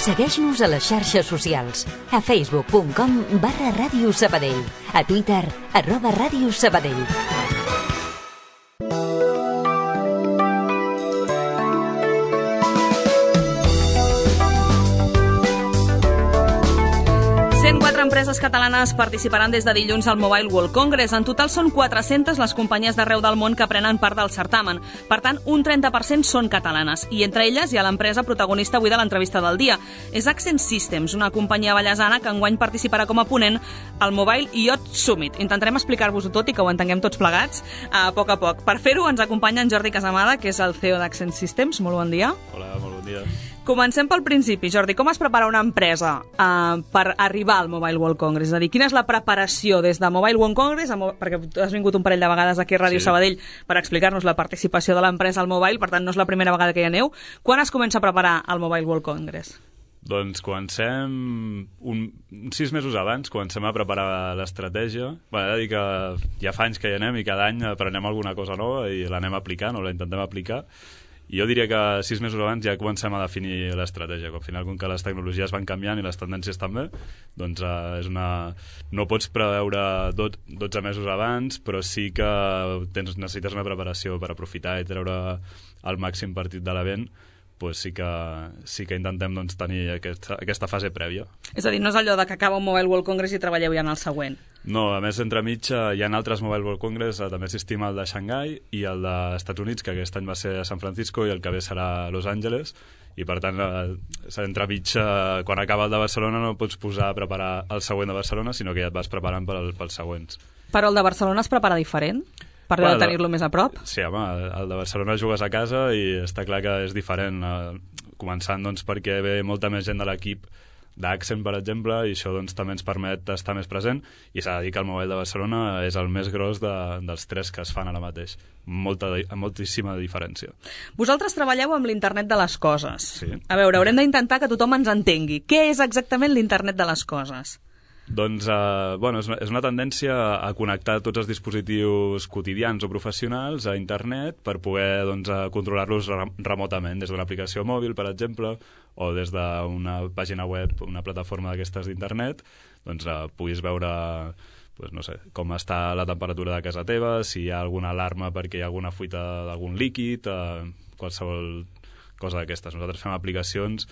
Segueix-nos a les xarxes socials. A facebook.com/Ràdio Sabadell. A Twitter, @Ràdio Sabadell. Empreses catalanes participaran des de dilluns al Mobile World Congress. En total són 400 les companyies d'arreu del món que prenen part del certamen. Per tant, un 30% són catalanes. I entre elles hi ha l'empresa protagonista avui de l'entrevista del dia. És Accent Systems, una companyia ballesana que enguany participarà com a ponent al Mobile Yacht Summit. Intentarem explicar-vos-ho tot i que ho entenguem tots plegats a poc. Per fer-ho ens acompanya en Jordi Casamada, que és el CEO d'Accent Systems. Molt bon dia. Hola, molt bon dia. Comencem pel principi. Jordi, com es prepara una empresa per arribar al Mobile World Congress? És a dir, quina és la preparació des de Mobile World Congress, perquè has vingut un parell de vegades aquí a Ràdio Sabadell per explicar-nos la participació de l'empresa al Mobile, per tant no és la primera vegada que hi aneu. Quan es comença a preparar el Mobile World Congress? Doncs comencem 6 mesos abans, comencem a preparar l'estratègia. Bé, he de dir que ja fa anys que hi anem i cada any aprenem alguna cosa nova i l'anem aplicant o la intentem aplicar. I jo diria que 6 mesos abans ja comencem a definir l'estratègia. Al final, com que les tecnologies van canviant i les tendències també, doncs no pots preveure 12 mesos abans, però sí que necessites una preparació per aprofitar i treure el màxim partit de l'event. Pues sí que intentem tenir aquesta fase prèvia. És a dir, no és allò de que acaba un Mobile World Congress i treballeu ja en el següent. No, a més, entremig hi ha altres Mobile World Congress, també assistim al de Xangai i el dels Estats Units, que aquest any va ser a San Francisco i el que ve serà a Los Angeles, i per tant, entremig, quan acaba el de Barcelona no pots posar a preparar el següent de Barcelona, sinó que ja et vas preparant pels següents. Però el de Barcelona es prepara diferent? Per tenir-lo més a prop? Sí, home, el de Barcelona jugues a casa i està clar que és diferent, començant perquè ve molta més gent de l'equip d'Accent, per exemple, i això també ens permet estar més present, i s'ha de dir que el Mobile de Barcelona és el més gros dels 3 que es fan ara mateix. Moltíssima diferència. Vosaltres treballeu amb l'internet de les coses. Sí. A veure, haurem d'intentar que tothom ens entengui. Què és exactament l'internet de les coses? Doncs, és una tendència a connectar tots els dispositius quotidians o professionals a internet per poder controlar-los remotament, des d'una aplicació mòbil, per exemple, o des d'una pàgina web, una plataforma d'aquestes d'internet, puguis veure com està la temperatura de casa teva, si hi ha alguna alarma perquè hi ha alguna fuita d'algun líquid, qualsevol cosa d'aquestes. Nosaltres fem aplicacions,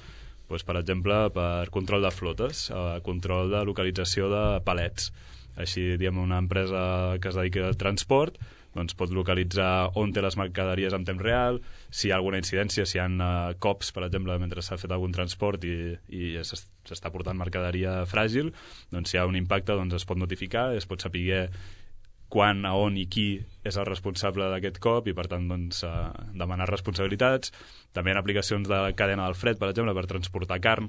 per exemple, per control de flotes, control de localització de palets. Així, diguem, una empresa que es dediqui al transport pot localitzar on té les mercaderies en temps real, si hi ha alguna incidència, si hi ha cops, per exemple, mentre s'ha fet algun transport i s'està portant mercaderia fràgil, si hi ha un impacte es pot notificar, es pot saber quan, a on i qui és el responsable d'aquest cop i, per tant, demanar responsabilitats. També hi ha aplicacions de cadena del fred, per exemple, per transportar carn.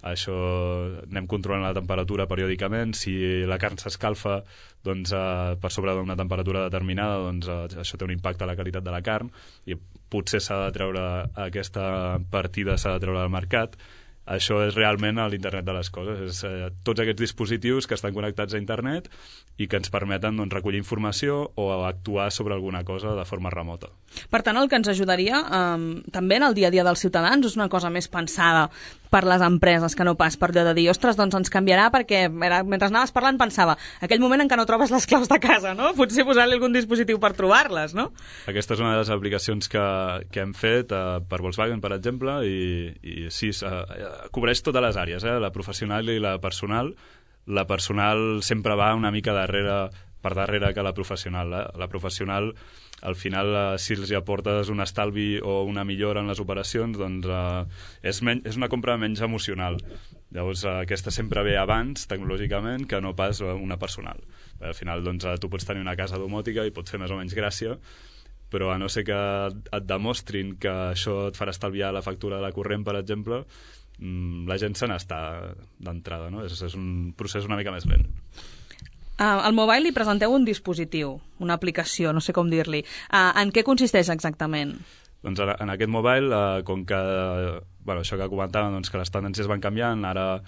Això anem controlant la temperatura periòdicament. Si la carn s'escalfa per sobre d'una temperatura determinada, això té un impacte a la qualitat de la carn i potser s'ha de treure aquesta partida, s'ha de treure del mercat. Això és realment l'internet de les coses. És tots aquests dispositius que estan connectats a internet i que ens permeten recollir informació o actuar sobre alguna cosa de forma remota. Per tant, el que ens ajudaria també en el dia a dia dels ciutadans és una cosa més pensada per les empreses que no pas per allò de dir, ostres, ens canviarà, perquè mentre anaves parlant pensava, aquell moment en què no trobes les claus de casa, no? Potser posar-li algun dispositiu per trobar-les, no? Aquesta és una de les aplicacions que hem fet per Volkswagen, per exemple, i sí, cobreix totes les àrees, la professional i la personal. La personal sempre va una mica per darrere que la professional. La professional, al final, si els aportes un estalvi o una millora en les operacions, és una compra menys emocional. Llavors, aquesta sempre ve abans, tecnològicament, que no pas una personal. Al final, tu pots tenir una casa domòtica i pot fer més o menys gràcia, però a no ser que et demostrin que això et farà estalviar la factura de la corrent, per exemple, la gent se n'està d'entrada, no? És un procés una mica més lent. Al Mobile li presenteu un dispositiu, una aplicació, no sé com dir-li. En què consisteix exactament? Doncs en aquest Mobile, com que això que comentàvem, que les tendències van canviant, ara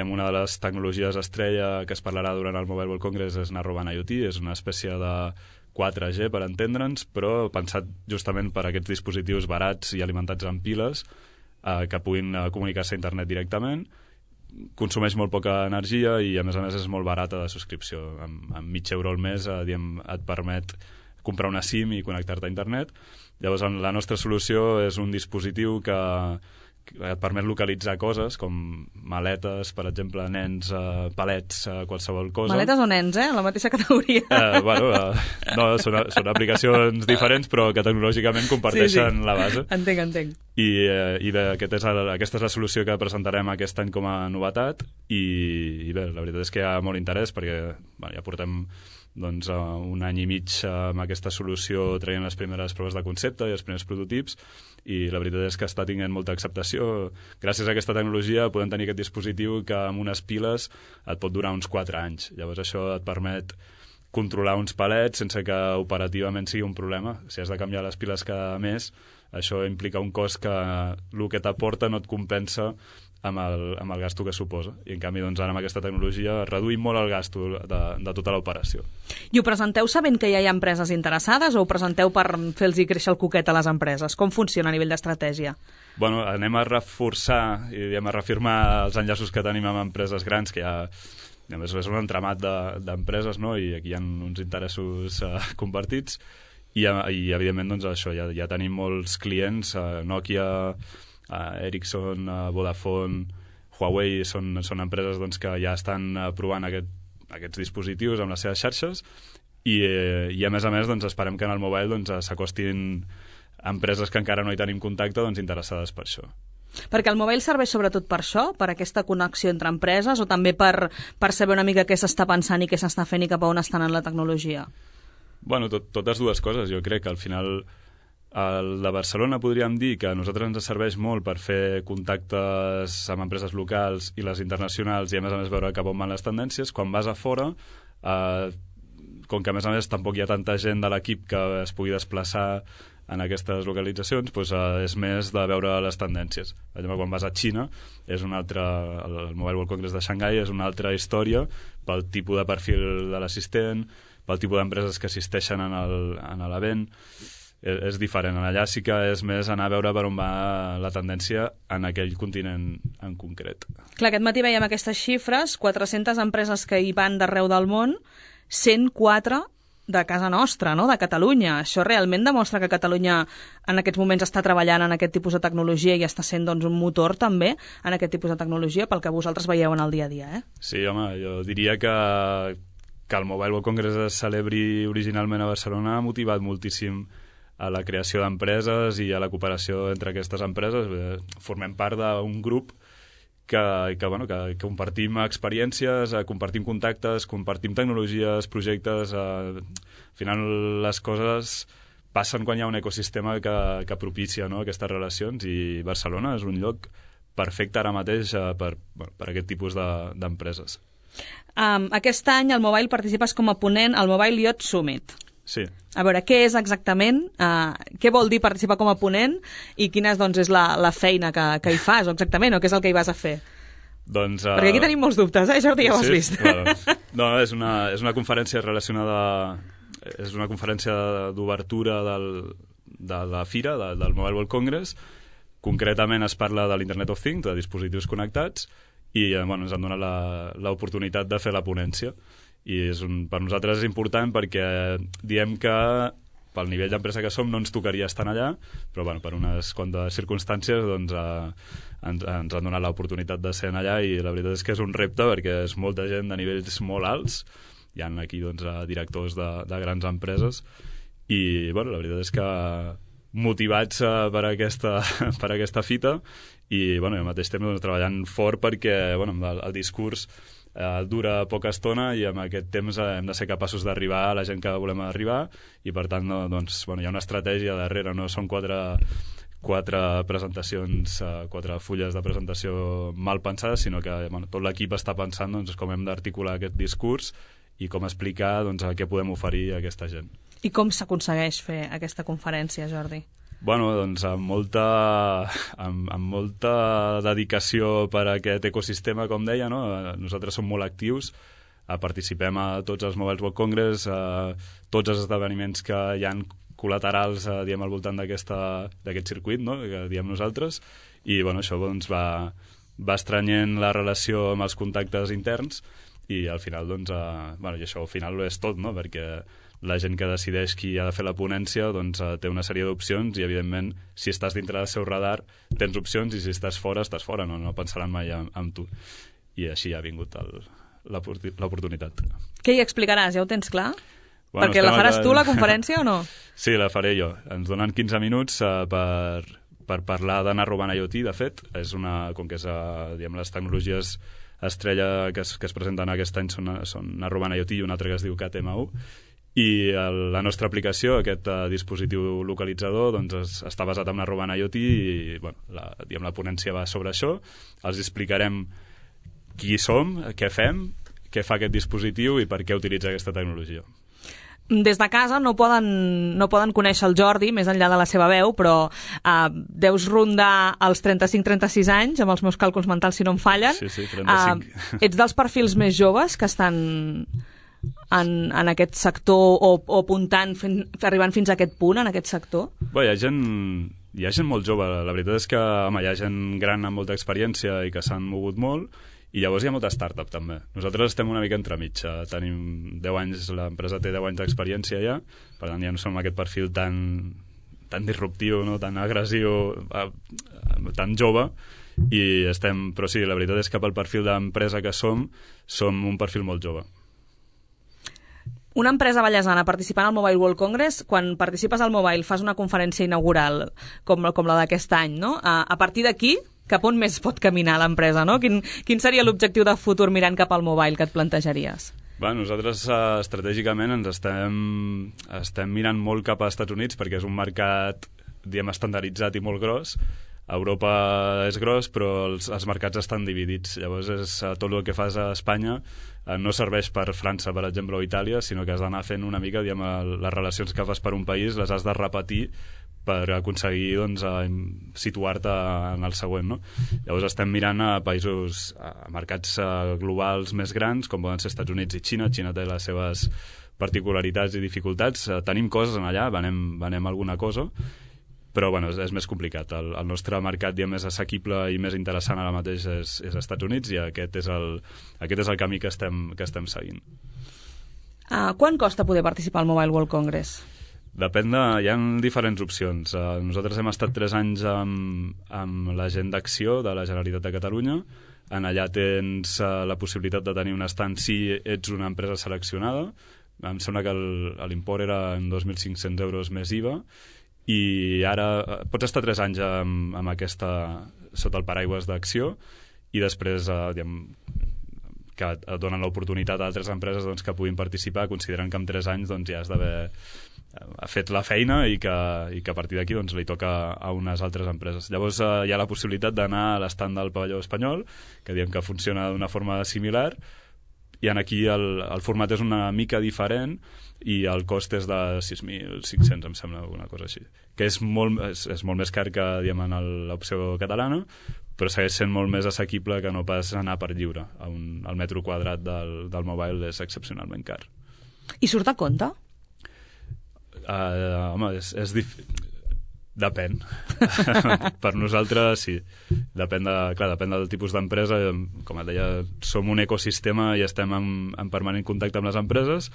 una de les tecnologies estrella que es parlarà durant el Mobile World Congress és Narrowband IoT, és una espècie de 4G, per entendre'ns, però pensat justament per aquests dispositius barats i alimentats amb piles, que puguin comunicar-se a internet directament. Consumeix molt poca energia i a més és molt barata de subscripció. Amb €0,5 al mes et permet comprar una SIM i connectar-te a internet. Llavors la nostra solució és un dispositiu que et permet localitzar coses com maletes, per exemple, nens, palets, qualsevol cosa. Maletes o nens, la mateixa categoria. No, són aplicacions diferents, però que tecnològicament comparteixen la base. Entenc. I bé, aquesta és la solució que presentarem aquest any com a novetat i bé, la veritat és que hi ha molt interès perquè ja portem un any i mig amb aquesta solució traient les primeres proves de concepte i els primers prototips i la veritat és que està tinguent molta acceptació. Gràcies a aquesta tecnologia podem tenir aquest dispositiu que amb unes piles et pot durar uns 4 anys. Llavors això et permet controlar uns palets sense que operativament sigui un problema. Si has de canviar les piles cada mes, això implica un cost que el que t'aporta no et compensa amb el gasto que suposa. I en canvi, ara amb aquesta tecnologia reduïm molt el gasto de tota l'operació. I ho presenteu sabent que ja hi ha empreses interessades o ho presenteu per fer-los créixer el coquet a les empreses? Com funciona a nivell d'estratègia? Anem a reforçar i a reafirmar els enllaços que tenim amb empreses grans, que ja és un entramat d'empreses, no? I aquí hi ha uns interessos compartits i evidentment, això, ja tenim molts clients, Nokia, Ericsson, Vodafone, Huawei són empreses que ja estan provant aquests dispositius amb les seves xarxes i a més esperem que en el mobile s'acostin empreses que encara no hi tenim contacte interessades per això. Perquè el mobile serveix sobretot per això, per aquesta connexió entre empreses o també per saber una mica què s'està pensant i què s'està fent i cap a on estan en la tecnologia? Totes dues coses. Jo crec que al final el de Barcelona podríem dir que a nosaltres ens serveix molt per fer contactes amb empreses locals i les internacionals i a més veure cap on van les tendències. Quan vas a fora, com que a més tampoc hi ha tanta gent de l'equip que es pugui desplaçar en aquestes localitzacions, és més de veure les tendències. Per exemple, quan vas a Xina, el Mobile World Congress de Xangai és una altra història pel tipus de perfil de l'assistent, pel tipus d'empreses que assisteixen en l'event. És diferent. Allà sí que és més anar a veure per on va la tendència en aquell continent en concret. Clar, aquest matí veiem aquestes xifres, 400 empreses que hi van d'arreu del món, 104 de casa nostra, no? De Catalunya. Això realment demostra que Catalunya en aquests moments està treballant en aquest tipus de tecnologia i està sent un motor també en aquest tipus de tecnologia pel que vosaltres veieu en el dia a dia, Sí, home, jo diria que el Mobile World Congress es celebri originalment a Barcelona ha motivat moltíssim a la creació d'empreses i a la cooperació entre aquestes empreses. Formem part d'un grup que compartim experiències, compartim contactes, compartim tecnologies, projectes. Al final les coses passen quan hi ha un ecosistema que propicia aquestes relacions i Barcelona és un lloc perfecte ara mateix per aquest tipus d'empreses. Aquest any al Mobile participes com a ponent al Mobile Yacht Summit. Sí. A veure, què és exactament, què vol dir participar com a ponent i quina és la feina que hi fas exactament, o què és el que hi vas a fer? Perquè aquí tenim molts dubtes, Jordi, ja ho has vist. Claro. No, és una conferència relacionada, és una conferència d'obertura de la fira, del Mobile World Congress. Concretament es parla de l'Internet of Things, de dispositius connectats, i ens han donat l'oportunitat de fer la ponència. I per nosaltres és important perquè diem que pel nivell d'empresa que som no ens tocaria estar allà, però per unes quantes circumstàncies ens han donat l'oportunitat de ser allà i la veritat és que és un repte perquè és molta gent de nivells molt alts, hi ha aquí directors de grans empreses i la veritat és que motivats per aquesta fita i al mateix temps treballant fort perquè el discurs dura poca estona i amb aquest temps hem de ser capaços d'arribar a la gent que volem arribar i per tant hi ha una estratègia darrere, no són quatre presentacions, 4 fulles de presentació mal pensades, sinó que tot l'equip està pensant com hem d'articular aquest discurs i com explicar què podem oferir a aquesta gent. I com s'aconsegueix fer aquesta conferència, Jordi? Amb molta dedicació per a aquest ecosistema, com deia, no? Nosaltres som molt actius, participem a tots els Mobile World Congress, a tots els esdeveniments que hi ha col·laterals al voltant d'aquest circuit, no? Que diem nosaltres, i això doncs, va estrenyent la relació amb els contactes interns i al final, i això al final ho és tot, no? Perquè la gent que decideix qui ha de fer la ponència té una sèrie d'opcions i, evidentment, si estàs dintre del seu radar, tens opcions i si estàs fora, no pensaran mai en tu. I així ha vingut l'oportunitat. Què hi explicaràs? Ja ho tens clar? Perquè la faràs tu, la conferència, o no? Sí, la faré jo. Ens donen 15 minuts per parlar de Narrowband IoT, de fet. Com que és, les tecnologies estrella que es presenten aquest any són Narrowband IoT i una altra que es diu KTM1. I la nostra aplicació, aquest dispositiu localitzador, està basat en Narrowband IoT i la ponència va sobre això. Els explicarem qui som, què fem, què fa aquest dispositiu i per què utilitza aquesta tecnologia. Des de casa no poden conèixer el Jordi, més enllà de la seva veu, però deus rondar els 35-36 anys, amb els meus càlculs mentals si no em fallen. Sí, 35. Ets dels perfils més joves que estan en aquest sector o apuntant, arribant fins a aquest punt, en aquest sector? Bé, hi ha gent molt jove. La veritat és que hi ha gent gran amb molta experiència i que s'han mogut molt, i llavors hi ha molta startup també. Nosaltres estem una mica entremig. Tenim 10 anys, l'empresa té 10 anys d'experiència ja, per tant ja no som aquest perfil tan disruptiu, no? Tan agressiu, tan jove, però sí, la veritat és que pel perfil d'empresa que som un perfil molt jove. Una empresa ballesana participant al Mobile World Congress, quan participes al Mobile fas una conferència inaugural com la d'aquest any, no? A partir d'aquí, cap on més pot caminar l'empresa, no? Quin seria l'objectiu de futur mirant cap al Mobile que et plantejaries? Nosaltres estratègicament ens estem mirant molt cap als Estats Units perquè és un mercat, estandarditzat i molt gros. A Europa és gros, però els mercats estan dividits. Llavors, tot el que fas a Espanya no serveix per França, per exemple, o Itàlia, sinó que has d'anar fent una mica, les relacions que fas per un país les has de repetir per aconseguir situar-te en el següent, no? Llavors estem mirant a països, a mercats globals més grans, com poden ser Estats Units i Xina. Xina té les seves particularitats i dificultats. Tenim coses allà, venem alguna cosa, però és més complicat. El nostre mercat més assequible i més interessant ara mateix és Estats Units, i aquest és el camí que estem seguint. Quant costa poder participar al Mobile World Congress? Depèn hi ha diferents opcions. Nosaltres hem estat 3 anys amb la gent d'acció de la Generalitat de Catalunya. Allà tens la possibilitat de tenir un stand si ets una empresa seleccionada. Em sembla que l'import era en 2.500 euros més IVA, i ara pots estar 3 anys amb aquesta sota el paraigües d'acció, i després que et donen l'oportunitat a altres empreses que puguin participar, considerant que en 3 anys ja has d'haver fet la feina i que a partir d'aquí li toca a unes altres empreses. Llavors hi ha la possibilitat d'anar a l'estand del pavelló espanyol, que diem que funciona d'una forma similar, i aquí el format és una mica diferent i el cost és de 6.500, em sembla, alguna cosa així, que és molt més car que en l'opció catalana, però segueix sent molt més assequible que no pas anar per lliure. El metro quadrat del mobile és excepcionalment car. I surt a compte? Home, depèn. Per nosaltres sí, depèn del tipus d'empresa. Com et deia, som un ecosistema i estem en permanent contacte amb les empreses,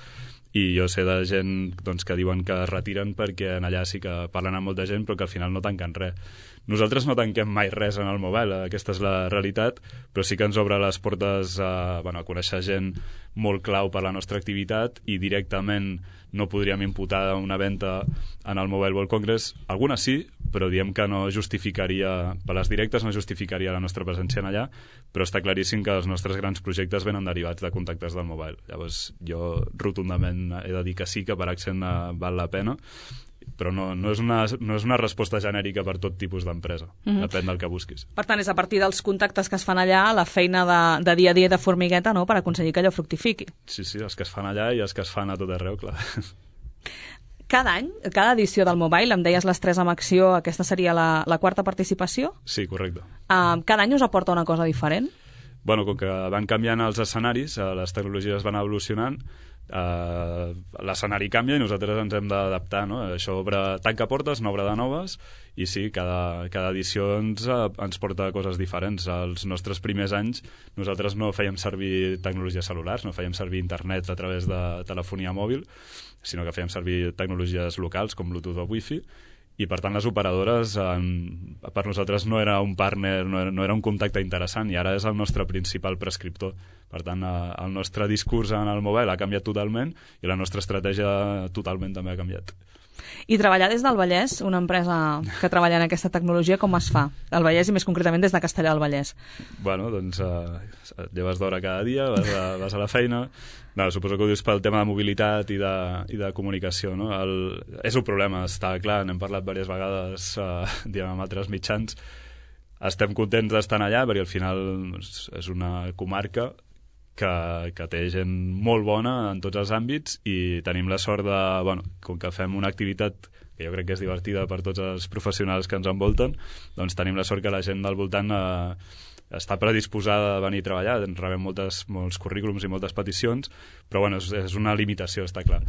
i jo sé de gent que diuen que es retiren perquè allà sí que parlen amb molta gent però que al final no tanquen res. Nosaltres no tanquem mai res en el mobile, aquesta és la realitat, però sí que ens obre les portes a conèixer gent molt clau per la nostra activitat, i directament no podríem imputar una venda en el Mobile World Congress. Algunes sí, però diem que no justificaria, per les directes no justificaria la nostra presència allà, però està claríssim que els nostres grans projectes venen derivats de contactes del mobile. Llavors jo rotundament he de dir que sí, que per Accent val la pena, però no és una resposta genèrica per tot tipus d'empresa. Depèn del que busquis. Per tant, és a partir dels contactes que es fan allà, la feina de dia a dia de formigueta, no?, per aconseguir que allò fructifiqui. Sí, els que es fan allà i els que es fan a tot arreu, clar. Cada any, cada edició del Mobile, em deies les 3 amb acció, aquesta seria la 4ª participació? Sí, correcte. Cada any us aporta una cosa diferent? Com que van canviant els escenaris, les tecnologies van evolucionant, l'escenari canvia i nosaltres ens hem d'adaptar, no? Això tanca portes, n'obre de noves, i sí, cada edició ens porta coses diferents. Els nostres primers anys nosaltres no fèiem servir tecnologies cel·lulars, no fèiem servir internet a través de telefonia mòbil, sinó que fèiem servir tecnologies locals com Bluetooth o Wi-Fi, i per tant les operadores per nosaltres no era un partner, no era un contacte interessant, i ara és el nostre principal prescriptor. Per tant, el nostre discurs en el mobile ha canviat totalment i la nostra estratègia totalment també ha canviat. I treballar des del Vallès, una empresa que treballa en aquesta tecnologia, com es fa? El Vallès i més concretament des de Castellar del Vallès. Bueno, doncs et lleves d'hora cada dia, vas a la feina. No, suposo que ho dius pel tema de mobilitat i de comunicació, no? És un problema, està clar, n'hem parlat diverses vegades amb altres mitjans. Estem contents d'estar allà perquè al final és una comarca que té gent molt bona en tots els àmbits, i tenim la sort de, com que fem una activitat que jo crec que és divertida per tots els professionals que ens envolten, doncs tenim la sort que la gent del voltant està predisposada a venir a treballar. Rebem molts currículums i moltes peticions, però és una limitació, està clar.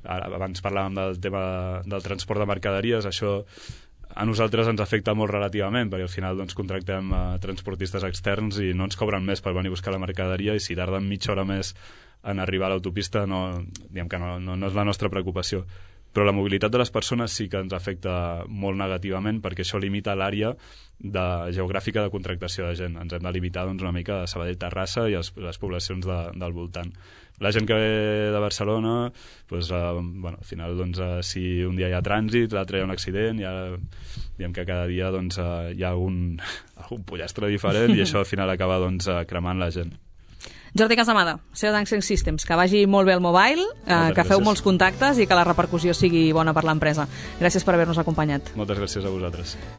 Abans parlàvem del tema del transport de mercaderies. Això a nosaltres ens afecta molt relativament, perquè al final contractem transportistes externs i no ens cobren més per venir a buscar la mercaderia, i si tarden mitja hora més en arribar a l'autopista no és la nostra preocupació. Però la mobilitat de les persones sí que ens afecta molt negativament, perquè això limita l'àrea geogràfica de contractació de gent. Ens hem de limitar una mica a Sabadell, Terrassa i les poblacions del voltant. La gent que ve de Barcelona, al final, si un dia hi ha trànsit, l'altre hi ha un accident, diguem que cada dia hi ha un pollastre diferent, i això al final acaba cremant la gent. Jordi Casamada, CEO d'Ancient Systems, que vagi molt bé el mobile, que feu molts contactes i que la repercussió sigui bona per l'empresa. Gràcies per haver-nos acompanyat. Moltes gràcies a vosaltres.